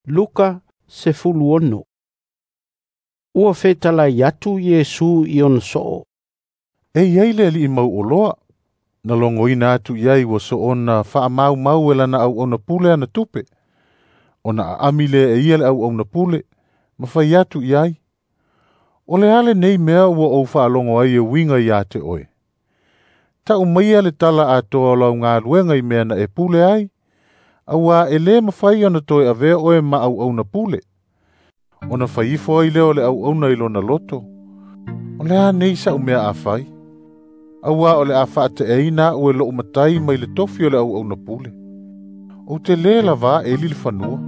Luka 16. Ua fetalai atu Iesu i ona soo. E iai le alii mauoloa, na logoina atu i ai ua soona faamaumau e lana auauna pule ana tupe. Ona aami lea e ia le auauna pule, ma fai atu i ai, O le a lenei mea ua ou faalogo ai e uiga ia te oe? Tau maia le tala atoa o lau galuega i mea na e pule ai, auā e lē mafai ona toe avea oe ma auauna pule. Ona fai ifo ai lea o le auauna i lona loto, O le a nei sa'u mea a fai? Auā o le a faateaina a'u e lo'u matai mai le tofi o le auauna pule. Ou te lē lavā eli le fanua,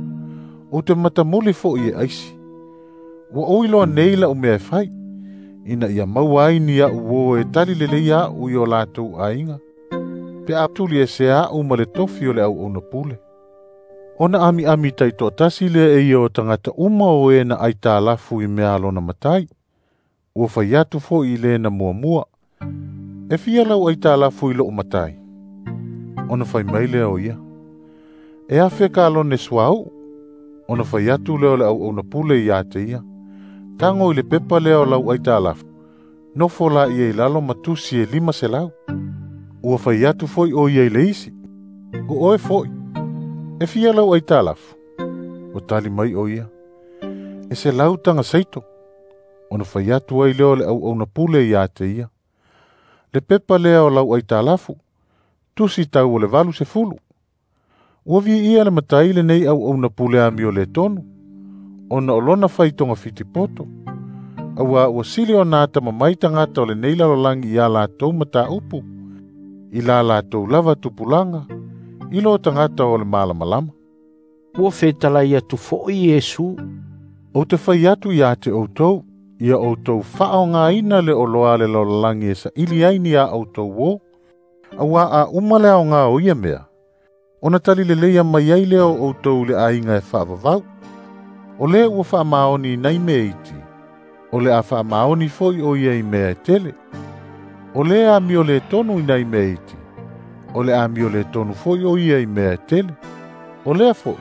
ou te matamuli fo'i e aisi. Ua ou iloa nei la'u mea e fai, ina ia maua ai ni a'u uō e tali lelei a'u i o latou aiga, pe a tuli ese a'u ma le tofi o le auauna pule. Ona amiami taitoatasi lea e ia o tagata uma o e na aitalafu i mea a lona matai. Ua fai atu fo'i i le na muamua, E fia lau aitalafu i lo'u matai? Ona fai mai lea o ia, E afe kalone suauu. Ona fai atu lea o le auauna pule ia te ia, Tago i le pepa lea o lau aitalafu, nofo laia i lalo ma tusi e 500. Ua fai atu foi o ia i le isi, O oe foi, e fia lau aitalafu? Ua tali mai o ia, E 100 taga seito. Ona fai atu ai lea o le auauna pule ia te ia, Le pepa lea o lau aitalafu, tusi tau o le 80. Ua viia le matai lenei auauna pule amio le tonu, ona o lona fai togafiti poto. Auā ua sili ona atamamai tagata o lenei lalolagi iā latou mataupu, i la latou lava tupulaga, i lo tagata o le malamalama. Ua fetalai atu fo'i Iesu. Ou te fai atu ia te outou, ia outou faaaogāina le oloa a le lalolagi e saili ai ni a outou uō, auā a uma le aogā o ia mea, ona tali leleia mai ai lea o outou i le aiga e faavavau. O lē ua faamaoni i nai mea iti, o le a faamaoni foi o ia i mea e tele. O lē amio lē tonu i nai mea iti, o le amio lē tonu foi o ia i mea e tele. O lea foi,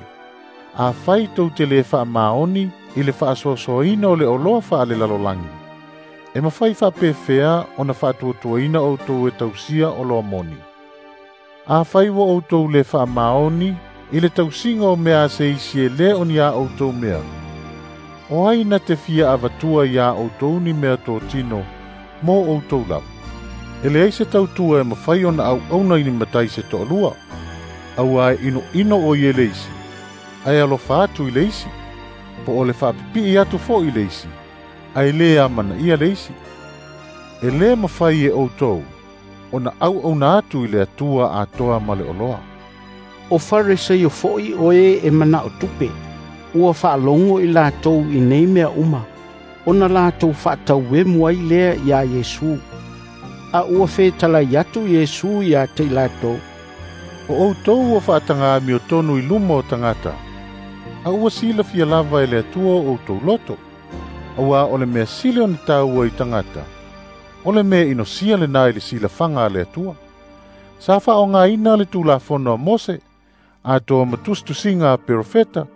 afai tou te lē faamaoni i le faasoasoaina o le oloa faalelalolagi, e mafai faapefea ona faatuatuaina outou e tausia oloa moni? Afai ua outou lē faamaoni i le tausiga o mea a se isi e lē o ni a outou mea, o ai na te fia avatua iā outou ni mea totino mo outou lava? E leai se tautua e mafai ona auauna i ni matai se toalua, auā e inoino o ia i le isi, ae alofa atu i le isi, po o le faapipii atu foi i le isi, ae lē amanaia le isi. E lē mafai e outou ona auauna atu i le Atua atoa ma le oloa. O Fariseo fo'i o e e mana'o tupe, ua faalogo i latou i nei mea uma, ona latou faatauemu ai lea iā Iesu. A ua fetalai atu Iesu ia te i latou, O outou ua faataga amiotonu i luma o tagata, a ua silafia lava e le Atua o outou loto, auā o le mea sili ona taua i tagata, o le mea inosia lenā i le silafaga a le Atua. Sa faaaogāina le Tulafono a Mose, atoa ma tusitusiga a perofeta,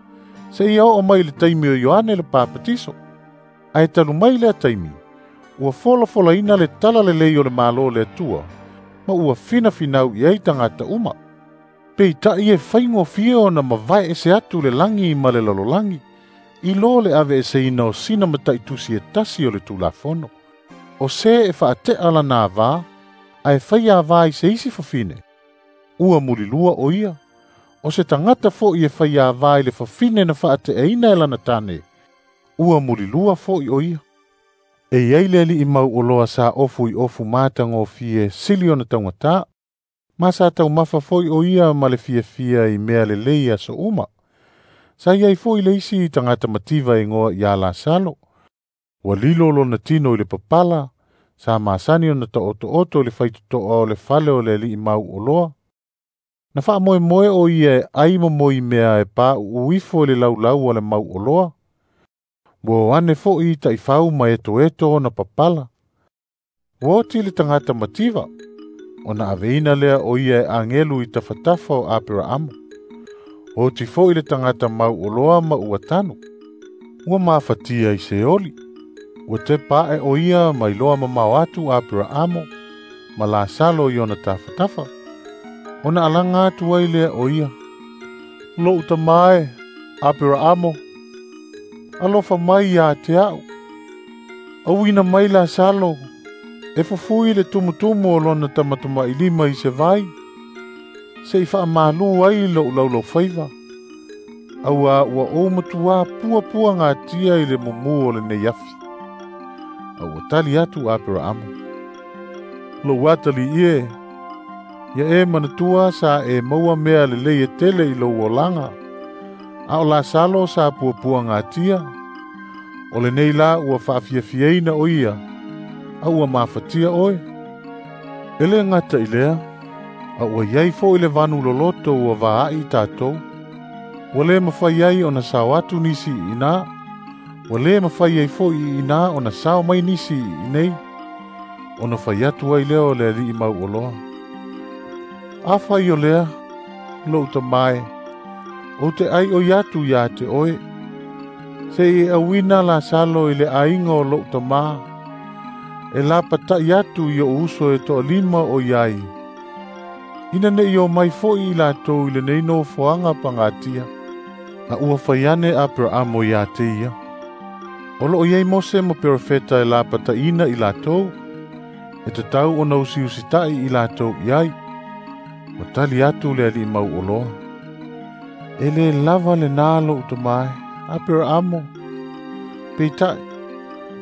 seia oo mai i le taimi o Ioane le Papatiso. Ae talu mai lea taimi, ua folafolaina le tala lelei o le Malo o le Atua, ma ua finafinau i ai tagata uma. Peita'i e faigofie ona mavae ese atu le lagi ma le lalolagi, i lo le aveeseina o sina mataitusi e tasi o le Tulafono. O se e faate'a lana avā, ae fai avā i se isi fafine, ua mulilua o ia. O se tagata fo'i e fai avā i le fafine na faate'aina e lana tane, ua mulilua fo'i o ia. E iai le alii mauoloa sa ofu i ofu matagofie sili ona taugatā, ma sa taumafa foi o ia ma le fiafia i mea lelei aso uma. Sa iai foi le isi tagata mativa e igoa ia Lasalo. Ua lilo lona tino i le papala, sa masani ona taotooto i le faitotoa o le fale o le alii mauoloa. Na faamoemoe o ia e ai momoi mea e pauu ifo i le laulau a le mauoloa. Ua o ane fo'i taifau ma etoeto ona papala. Ua oti le tagata mativa, ona aveina lea o ia e agelu i tafatafa o Aperaamo. Oti fo'i le tagata mau'oloa ma ua tanu. Ua mafatia i Seoli. Ua tepa a'e o ia ma iloa mamao atu Apera'amo ma Lasalo i ona tafatafa. Ona alaga atu ai lea o ia. Lo'u tamā e, Apera'amo, alofa mai iā te a'u. Auina mai Lasalo, e fufui le tumutumu o lona tamatamailima i se vai, se'i faamalū ai lo'u laulaufaiva, auā ua ou matuā puapuagatia i le mumū o lenei afi. A ua tali atu Apera'amo, Lou atali'i e, ia e manatua sa e maua mea lelei e tele i lou olaga, a o Lasalo sa puapuagatia, o lenei la ua faafiafiaina o ia, a ua mafatia oe. E lē gata i lea, a ua iai fo'i le vanu loloto ua vaa'i tatou. Ua lē mafai ai ona sao atu nisi i'inā, ua lē mafai ai fo'i i'inā ona sao mai nisi i'inei. Ona fai atu ai lea o le ali'i mau'oloa. Afai o lea, lo'u tamā e, ou te ʻai'oi atu iā te oe, se'i e auina Lasalo i le aiga o lo'u tamā, e lapata'i atu i o'u uso e to'alima o iai, ina ne'i o mai fo'i i latou i lenei nofoaga pagatia. A ua fai ane Apera'amo iā te ia. O lo'o i ai Mose ma perofeta e lapata'iina i latou, e tatau ona usiusita'i i latou i ai. Ua tali atu le ali'i mau'oloa. E lē lava lenā lo'u tamā e, Apera'amo. Peita'i,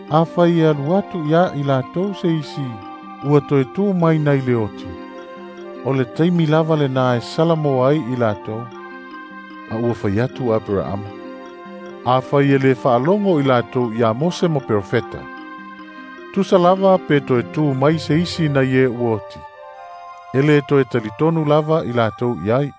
afai e alu atu iā i latou se isi ua toe tū mai nai le oti, o le taimi lava lenā e salamoa ai i latou. A ua fai atu Apera'amo. Afai e lē faalogo i latou iā Mose ma perofeta, tusa lava pe toe tū mai se isi nai e ua oti, e lē toe talitonu lava i latou i ai.